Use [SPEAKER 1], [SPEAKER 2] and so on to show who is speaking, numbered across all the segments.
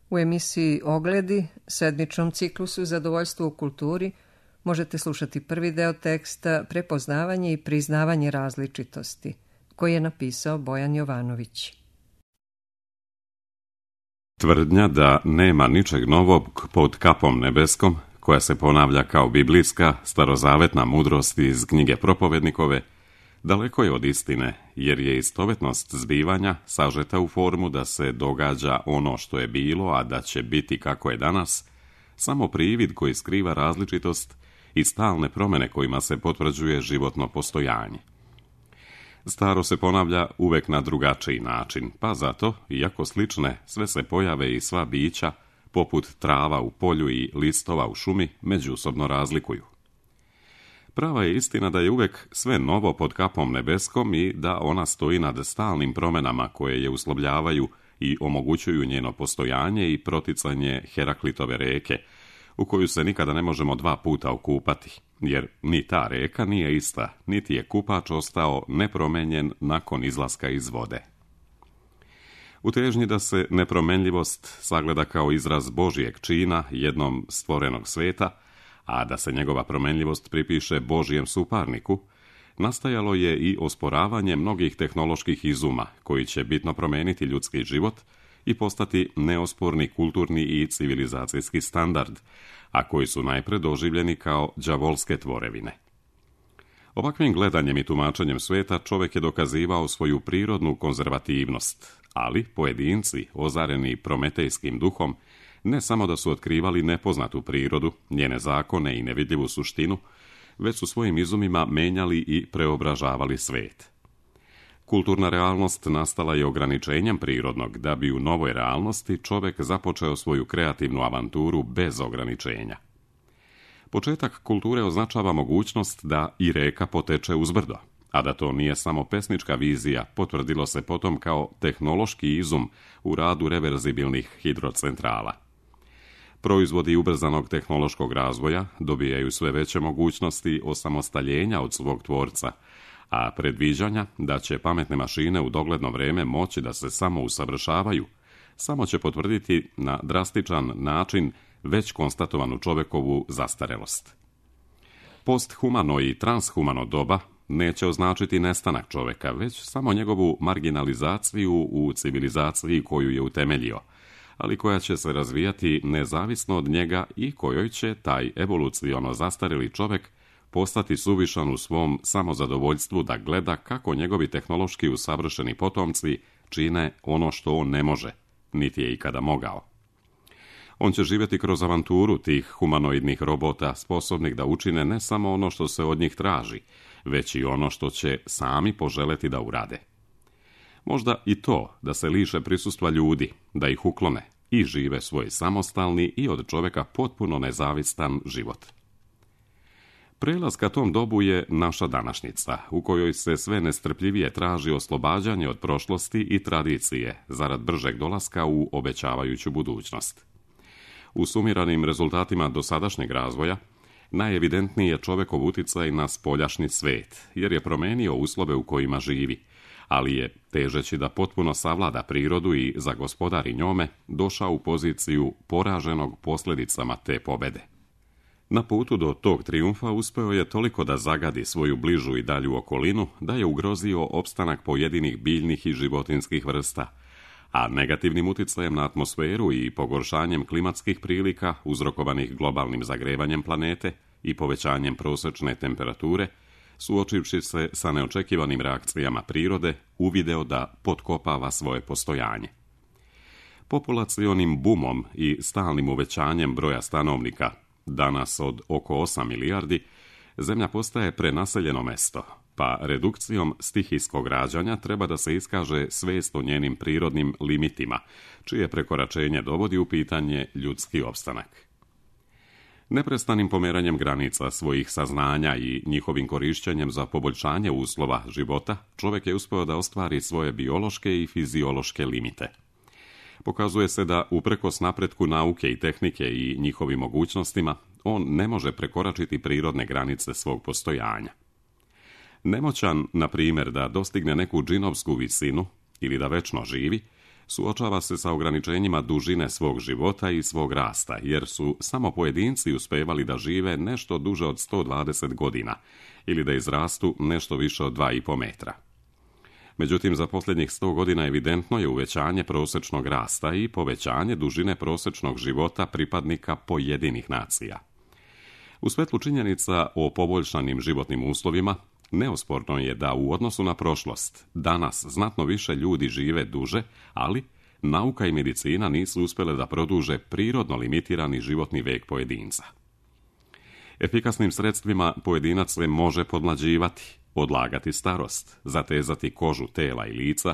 [SPEAKER 1] U emisiji Ogledi, sedmičnom ciklusu Zadovoljstvo u kulturi, možete slušati prvi deo teksta Prepoznavanje i priznavanje različitosti, koji je napisao Bojan Jovanović.
[SPEAKER 2] Tvrdnja da nema ničeg novog pod kapom nebeskom, koja se ponavlja kao biblijska, starozavetna mudrost iz knjige Propovednikove, daleko je od istine, jer je istovetnost zbivanja sažeta u formu da se događa ono što je bilo, a da će biti kako je danas, samo privid koji skriva različitost i stalne promjene kojima se potvrđuje životno postojanje. Staro se ponavlja uvek na drugačiji način, pa zato, iako slične, sve se pojave i sva bića, poput trava u polju i listova u šumi, međusobno razlikuju. Prava je istina da je uvek sve novo pod kapom nebeskom i da ona stoji nad stalnim promjenama koje je uslovljavaju i omogućuju njeno postojanje i proticanje Heraklitove reke, u koju se nikada ne možemo 2 puta okupati, jer ni ta reka nije ista, niti je kupač ostao nepromenjen nakon izlaska iz vode. U težnji da se nepromenljivost sagleda kao izraz Božijeg čina jednom stvorenog sveta, a da se njegova promenljivost pripiše Božijem suparniku, nastajalo je i osporavanje mnogih tehnoloških izuma koji će bitno promeniti ljudski život i postati neosporni kulturni i civilizacijski standard, a koji su najpre doživljeni kao đavolske tvorevine. Ovakvim gledanjem i tumačenjem sveta čovjek je dokazivao svoju prirodnu konzervativnost, ali pojedinci, ozareni prometejskim duhom, ne samo da su otkrivali nepoznatu prirodu, njene zakone i nevidljivu suštinu, već su svojim izumima menjali i preobražavali svet. Kulturna realnost nastala je ograničenjem prirodnog, da bi u novoj realnosti čovjek započeo svoju kreativnu avanturu bez ograničenja. Početak kulture označava mogućnost da i reka poteče uzbrdo, a da to nije samo pesnička vizija, potvrdilo se potom kao tehnološki izum u radu reverzibilnih hidrocentrala. Proizvodi ubrzanog tehnološkog razvoja dobijaju sve veće mogućnosti osamostaljenja od svog tvorca, a predviđanja da će pametne mašine u dogledno vrijeme moći da se samo usavršavaju, samo će potvrditi na drastičan način već konstatovanu čovjekovu zastarelost. Posthumano i transhumano doba neće označiti nestanak čovjeka, već samo njegovu marginalizaciju u civilizaciji koju je utemeljio, ali koja će se razvijati nezavisno od njega i kojoj će taj evoluciono zastarili čovjek postati suvišan u svom samozadovoljstvu da gleda kako njegovi tehnološki usavršeni potomci čine ono što on ne može, niti je ikada mogao. On će živjeti kroz avanturu tih humanoidnih robota sposobnih da učine ne samo ono što se od njih traži, već i ono što će sami poželeti da urade. Možda i to da se liše prisustva ljudi, da ih uklone i žive svoj samostalni i od čovjeka potpuno nezavistan život. Prelaz ka tom dobu je naša današnjica, u kojoj se sve nestrpljivije traži oslobađanje od prošlosti i tradicije, zarad bržeg dolaska u obećavajuću budućnost. U sumiranim rezultatima dosadašnjeg razvoja, najevidentniji je čovjekov uticaj na spoljašnji svet, jer je promenio uslove u kojima živi, ali je, težeći da potpuno savlada prirodu i zagospodari njome, došao u poziciju poraženog posljedicama te pobede. Na putu do tog trijumfa uspeo je toliko da zagadi svoju bližu i dalju okolinu, da je ugrozio opstanak pojedinih biljnih i životinskih vrsta, a negativnim uticajem na atmosferu i pogoršanjem klimatskih prilika uzrokovanih globalnim zagrevanjem planete i povećanjem prosječne temperature, suočivši se sa neočekivanim reakcijama prirode, uvideo da potkopava svoje postojanje. Populacionim bumom i stalnim uvećanjem broja stanovnika, danas od oko 8 milijardi, Zemlja postaje prenaseljeno mesto, pa redukcijom stihijskog rađanja treba da se iskaže svest o njenim prirodnim limitima, čije prekoračenje dovodi u pitanje ljudski opstanak. Neprestanim pomeranjem granica svojih saznanja i njihovim korišćenjem za poboljšanje uslova života, čovjek je uspeo da ostvari svoje biološke i fiziološke limite. Pokazuje se da, uprkos napretku nauke i tehnike i njihovim mogućnostima, on ne može prekoračiti prirodne granice svog postojanja. Nemoćan, na primjer, da dostigne neku džinovsku visinu ili da večno živi, Suočava se sa ograničenjima dužine svog života i svog rasta, jer su samo pojedinci uspevali da žive nešto duže od 120 godina ili da izrastu nešto više od 2,5 metra. Međutim, za posljednjih 100 godina evidentno je uvećanje prosječnog rasta i povećanje dužine prosječnog života pripadnika pojedinih nacija. U svetlu činjenica o poboljšanim životnim uslovima, neosporno je da u odnosu na prošlost danas znatno više ljudi žive duže, ali nauka i medicina nisu uspjele da produže prirodno limitirani životni vijek pojedinca. Efikasnim sredstvima pojedinac se može podmlađivati, odlagati starost, zatezati kožu tela i lica,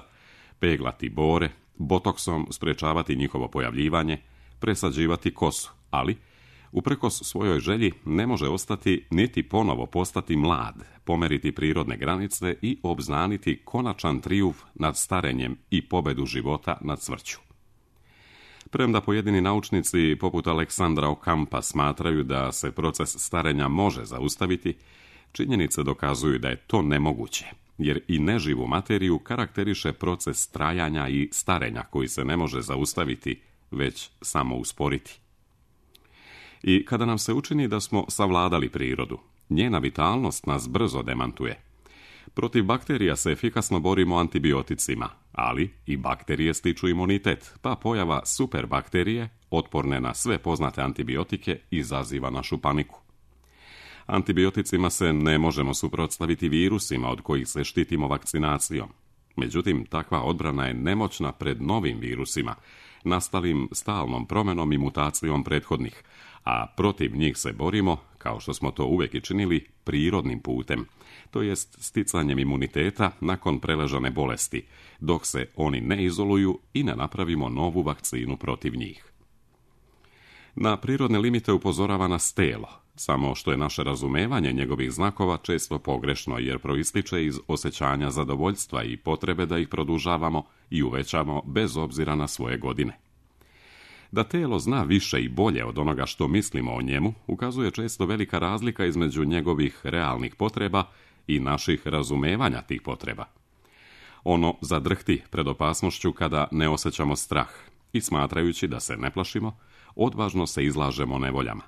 [SPEAKER 2] peglati bore, botoksom sprečavati njihovo pojavljivanje, presađivati kosu, ali uprkos svojoj želji ne može ostati niti ponovo postati mlad, pomeriti prirodne granice i obznaniti konačan trijumf nad starenjem i pobedu života nad smrću. Premda pojedini naučnici poput Aleksandra Okampa smatraju da se proces starenja može zaustaviti, činjenice dokazuju da je to nemoguće, jer i neživu materiju karakteriše proces trajanja i starenja koji se ne može zaustaviti, već samo usporiti. I kada nam se učini da smo savladali prirodu, njena vitalnost nas brzo demantuje. Protiv bakterija se efikasno borimo antibioticima, ali i bakterije stiču imunitet, pa pojava superbakterije, otporne na sve poznate antibiotike, izaziva našu paniku. Antibioticima se ne možemo suprotstaviti virusima od kojih se štitimo vakcinacijom. Međutim, takva odbrana je nemoćna pred novim virusima, nastalim stalnom promjenom i mutacijom prethodnih, a protiv njih se borimo, kao što smo to uvijek i činili, prirodnim putem, to jest sticanjem imuniteta nakon preležane bolesti, dok se oni ne izoluju i ne napravimo novu vakcinu protiv njih. Na prirodne limite upozorava nas telo, samo što je naše razumevanje njegovih znakova često pogrešno jer proističe iz osjećanja zadovoljstva i potrebe da ih produžavamo i uvećamo bez obzira na svoje godine. Da telo zna više i bolje od onoga što mislimo o njemu, ukazuje često velika razlika između njegovih realnih potreba i naših razumevanja tih potreba. Ono zadrhti pred opasnošću kada ne osjećamo strah i smatrajući da se ne plašimo, odvažno se izlažemo nevoljama.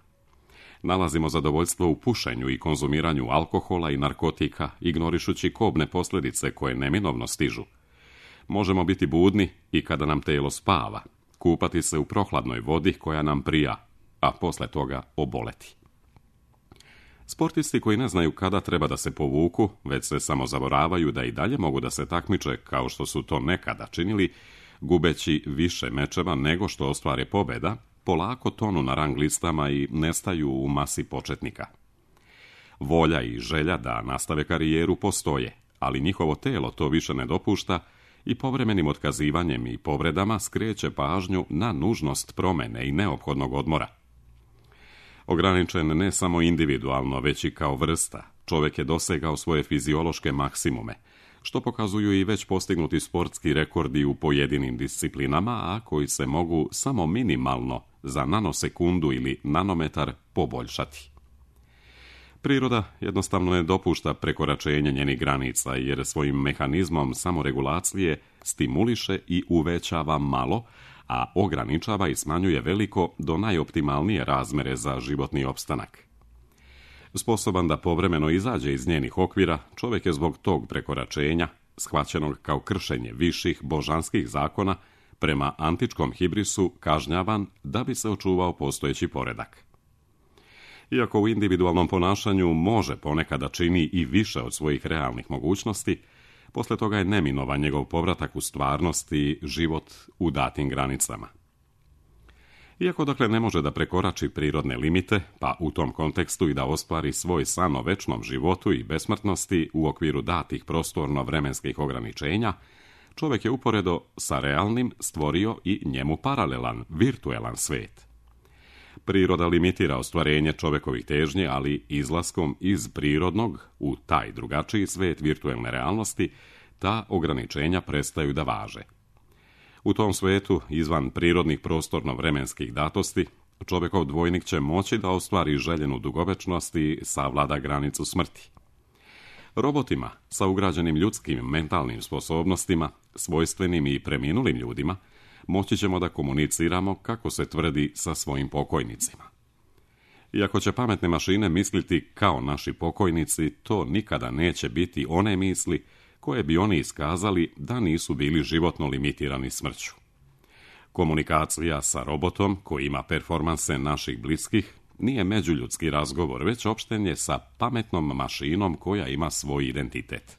[SPEAKER 2] Nalazimo zadovoljstvo u pušenju i konzumiranju alkohola i narkotika, ignorišući kobne posljedice koje neminovno stižu. Možemo biti budni i kada nam telo spava, kupati se u prohladnoj vodi koja nam prija, a posle toga oboleti. Sportisti koji ne znaju kada treba da se povuku, već se samo zaboravaju da i dalje mogu da se takmiče kao što su to nekada činili, gubeći više mečeva nego što ostvare pobjeda, polako tonu na rang listama i nestaju u masi početnika. Volja i želja da nastave karijeru postoje, ali njihovo telo to više ne dopušta i povremenim otkazivanjem i povredama skreće pažnju na nužnost promjene i neophodnog odmora. Ograničen ne samo individualno, već i kao vrsta, čovjek je dosegao svoje fiziološke maksimume, što pokazuju i već postignuti sportski rekordi u pojedinim disciplinama, a koji se mogu samo minimalno za nanosekundu ili nanometar poboljšati. Priroda jednostavno ne dopušta prekoračenje njenih granica, jer svojim mehanizmom samoregulacije stimuliše i uvećava malo, a ograničava i smanjuje veliko do najoptimalnije razmere za životni opstanak. Sposoban da povremeno izađe iz njenih okvira, čovjek je zbog tog prekoračenja, shvaćenog kao kršenje viših božanskih zakona, prema antičkom hibrisu kažnjavan da bi se očuvao postojeći poredak. Iako u individualnom ponašanju može ponekad da čini i više od svojih realnih mogućnosti, posle toga je neminovan njegov povratak u stvarnost i život u datim granicama. Iako dakle ne može da prekorači prirodne limite, pa u tom kontekstu i da ostvari svoj san o večnom životu i besmrtnosti u okviru datih prostorno-vremenskih ograničenja, čovjek je uporedo sa realnim stvorio i njemu paralelan, virtuelan svet. Priroda limitira ostvarenje čovjekovih težnji, ali izlaskom iz prirodnog u taj drugačiji svet virtuelne realnosti, ta ograničenja prestaju da važe. U tom svetu, izvan prirodnih prostorno-vremenskih datosti, čovjekov dvojnik će moći da ostvari željenu dugovečnost i savlada granicu smrti. Robotima sa ugrađenim ljudskim mentalnim sposobnostima, svojstvenim i preminulim ljudima, moći ćemo da komuniciramo kako se tvrdi sa svojim pokojnicima. Iako će pametne mašine misliti kao naši pokojnici, to nikada neće biti one misli koje bi oni iskazali da nisu bili životno limitirani smrću. Komunikacija sa robotom koji ima performanse naših bliskih nije međuljudski razgovor, već opštenje sa pametnom mašinom koja ima svoj identitet.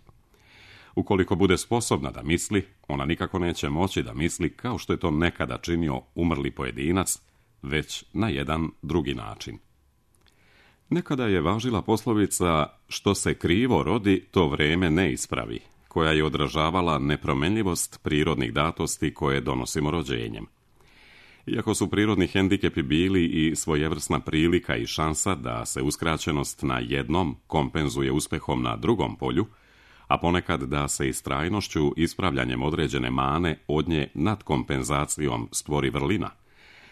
[SPEAKER 2] Ukoliko bude sposobna da misli, ona nikako neće moći da misli kao što je to nekada činio umrli pojedinac, već na jedan drugi način. Nekada je važila poslovica što se krivo rodi, to vreme ne ispravi, koja je odražavala nepromenljivost prirodnih datosti koje donosimo rođenjem. Iako su prirodni hendikepi bili i svojevrsna prilika i šansa da se uskraćenost na jednom kompenzuje uspehom na drugom polju, a ponekad da se istrajnošću ispravljanjem određene mane od nje nad kompenzacijom stvori vrlina,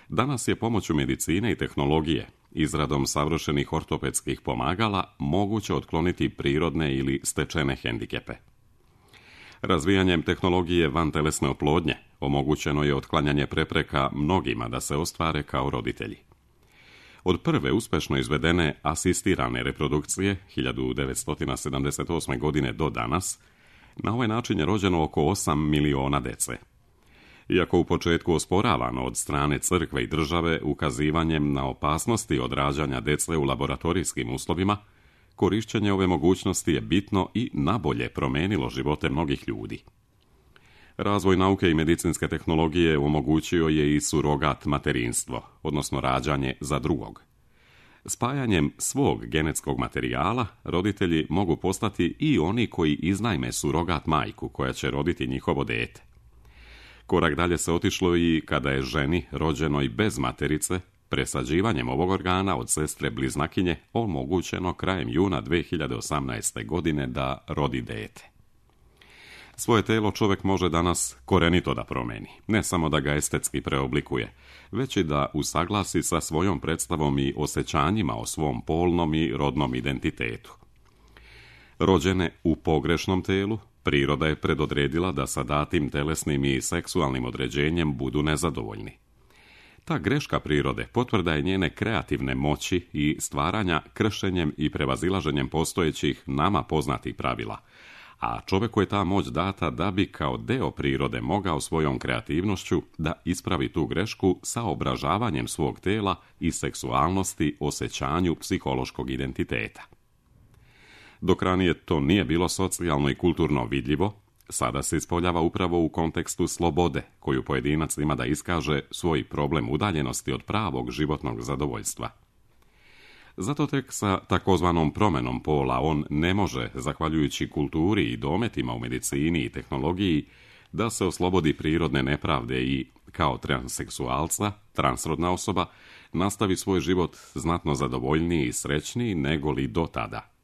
[SPEAKER 2] danas je pomoću medicine i tehnologije, izradom savršenih ortopedskih pomagala, moguće otkloniti prirodne ili stečene hendikepe. Razvijanjem tehnologije vantelesne oplodnje omogućeno je otklanjanje prepreka mnogima da se ostvare kao roditelji. Od prve uspešno izvedene asistirane reprodukcije 1978. godine do danas, na ovaj način je rođeno oko 8 miliona dece. Iako u početku osporavano od strane crkve i države ukazivanjem na opasnosti od rađanja dece u laboratorijskim uslovima, korišćenje ove mogućnosti je bitno i nabolje promenilo živote mnogih ljudi. Razvoj nauke i medicinske tehnologije omogućio je i surogat materinstvo, odnosno rađanje za drugog. Spajanjem svog genetskog materijala roditelji mogu postati i oni koji iznajme surogat majku koja će roditi njihovo dete. Korak dalje se otišlo i kada je ženi rođenoj bez materice presađivanjem ovog organa od sestre bliznakinje omogućeno krajem juna 2018. godine da rodi dete. Svoje telo čovjek može danas korenito da promeni, ne samo da ga estetski preoblikuje, već i da usaglasi sa svojom predstavom i osjećanjima o svom polnom i rodnom identitetu. Rođene u pogrešnom telu, priroda je predodredila da sa datim telesnim i seksualnim određenjem budu nezadovoljni. Ta greška prirode potvrda je njene kreativne moći i stvaranja kršenjem i prevazilaženjem postojećih nama poznatih pravila, a čovjeku je ta moć data da bi kao deo prirode mogao svojom kreativnošću da ispravi tu grešku sa obražavanjem svog tela i seksualnosti osjećanju psihološkog identiteta. Dok ranije to nije bilo socijalno i kulturno vidljivo, sada se ispoljava upravo u kontekstu slobode, koju pojedinac ima da iskaže svoj problem udaljenosti od pravog životnog zadovoljstva. Zato tek sa takozvanom promenom pola on ne može, zahvaljujući kulturi i dometima u medicini i tehnologiji, da se oslobodi prirodne nepravde i, kao transseksualca, transrodna osoba, nastavi svoj život znatno zadovoljniji i srećniji nego li do tada.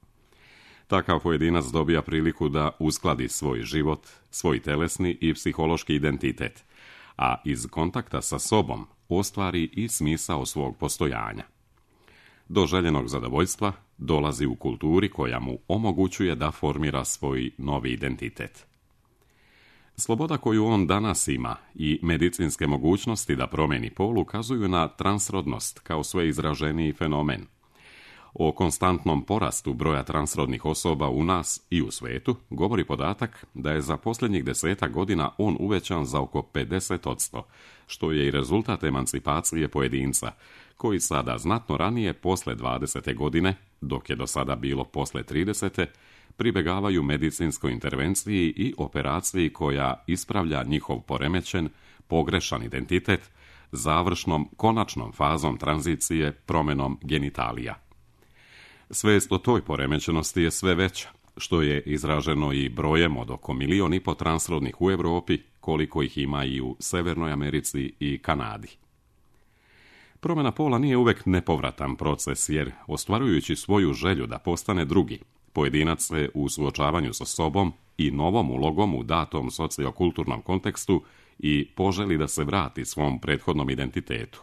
[SPEAKER 2] Takav pojedinac dobija priliku da uskladi svoj život, svoj telesni i psihološki identitet, a iz kontakta sa sobom ostvari i smisao svog postojanja. Do željenog zadovoljstva dolazi u kulturi koja mu omogućuje da formira svoj novi identitet. Sloboda koju on danas ima i medicinske mogućnosti da promeni pol ukazuju na transrodnost kao sve izraženiji fenomen. O konstantnom porastu broja transrodnih osoba u nas i u svetu govori podatak da je za posljednjih 10 godina on uvećan za oko 50%, što je i rezultat emancipacije pojedinca, koji sada znatno ranije, posle 20. godine, dok je do sada bilo posle 30. pribegavaju medicinskoj intervenciji i operaciji koja ispravlja njihov poremećen, pogrešan identitet, završnom, konačnom fazom tranzicije promjenom genitalija. Svijest o toj poremećenosti je sve veća, što je izraženo i brojem od oko 1,5 milijuna transrodnih u Europi, koliko ih ima i u Severnoj Americi i Kanadi. Promjena pola nije uvek nepovratan proces, jer ostvarujući svoju želju da postane drugi, pojedinac se u suočavanju sa sobom i novom ulogom u datom sociokulturnom kontekstu i poželi da se vrati svom prethodnom identitetu.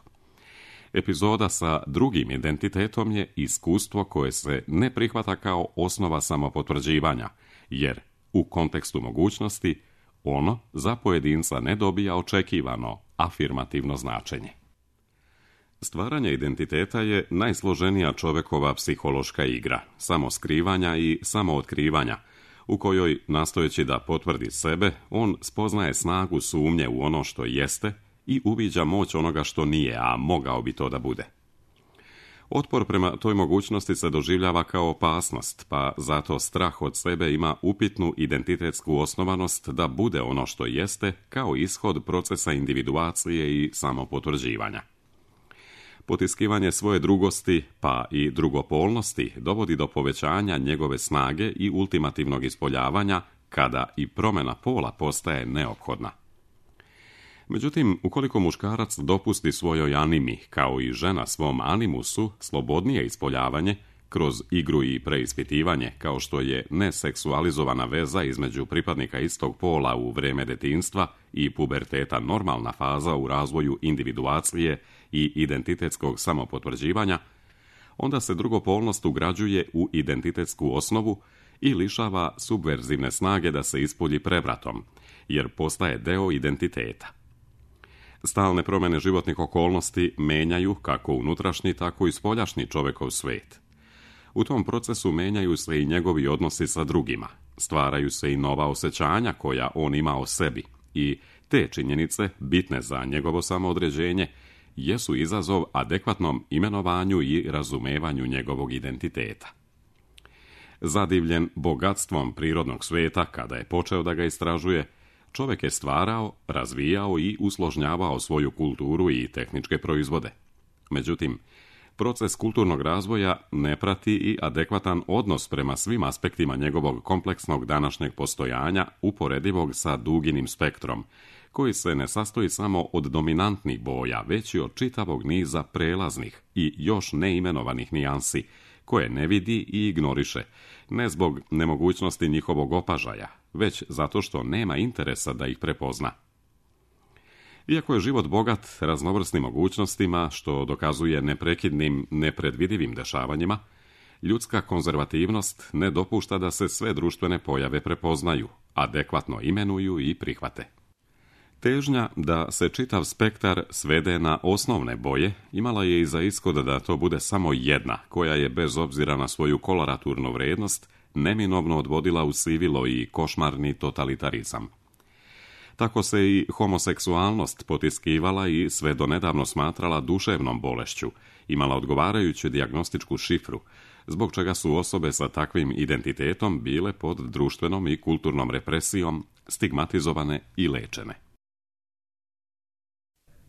[SPEAKER 2] Epizoda sa drugim identitetom je iskustvo koje se ne prihvata kao osnova samopotvrđivanja, jer u kontekstu mogućnosti ono za pojedinca ne dobija očekivano, afirmativno značenje. Stvaranje identiteta je najsloženija čovekova psihološka igra, samoskrivanja i samootkrivanja, u kojoj, nastojeći da potvrdi sebe, on spoznaje snagu sumnje u ono što jeste i uviđa moć onoga što nije, a mogao bi to da bude. Otpor prema toj mogućnosti se doživljava kao opasnost, pa zato strah od sebe ima upitnu identitetsku osnovanost da bude ono što jeste kao ishod procesa individuacije i samopotvrđivanja. Potiskivanje svoje drugosti, pa i drugopolnosti, dovodi do povećanja njegove snage i ultimativnog ispoljavanja, kada i promjena pola postaje neophodna. Međutim, ukoliko muškarac dopusti svojoj animi, kao i žena svom animusu, slobodnije ispoljavanje, kroz igru i preispitivanje, kao što je neseksualizovana veza između pripadnika istog pola u vrijeme detinjstva i puberteta normalna faza u razvoju individuacije i identitetskog samopotvrđivanja, onda se drugopolnost ugrađuje u identitetsku osnovu i lišava subverzivne snage da se ispolji prevratom, jer postaje deo identiteta. Stalne promjene životnih okolnosti menjaju kako unutrašnji, tako i spoljašnji čovekov svet. U tom procesu menjaju se i njegovi odnosi sa drugima, stvaraju se i nova osjećanja koja on ima o sebi i te činjenice, bitne za njegovo samoodređenje, jesu izazov adekvatnom imenovanju i razumevanju njegovog identiteta. Zadivljen bogatstvom prirodnog sveta, kada je počeo da ga istražuje, čovjek je stvarao, razvijao i usložnjavao svoju kulturu i tehničke proizvode. Međutim, proces kulturnog razvoja ne prati i adekvatan odnos prema svim aspektima njegovog kompleksnog današnjeg postojanja, uporedivog sa duginim spektrom, koji se ne sastoji samo od dominantnih boja, već i od čitavog niza prelaznih i još neimenovanih nijansi, koje ne vidi i ignoriše, ne zbog nemogućnosti njihovog opažaja, već zato što nema interesa da ih prepozna. Iako je život bogat raznovrsnim mogućnostima, što dokazuje neprekidnim, nepredvidivim dešavanjima, ljudska konzervativnost ne dopušta da se sve društvene pojave prepoznaju, adekvatno imenuju i prihvate. Težnja da se čitav spektar svede na osnovne boje imala je i za ishod da to bude samo jedna, koja je bez obzira na svoju koloraturnu vrednost neminovno odvodila u sivilo i košmarni totalitarizam. Tako se i homoseksualnost potiskivala i sve do nedavno smatrala duševnom bolešću, imala odgovarajuću dijagnostičku šifru, zbog čega su osobe sa takvim identitetom bile pod društvenom i kulturnom represijom, stigmatizovane i lečene.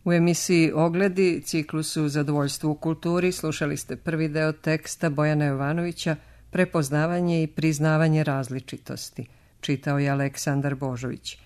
[SPEAKER 1] U emisiji Ogledi, ciklusu Zadovoljstvo u kulturi, slušali ste prvi deo teksta Bojana Jovanovića Prepoznavanje i priznavanje različitosti. Čitao je Aleksandar Božović.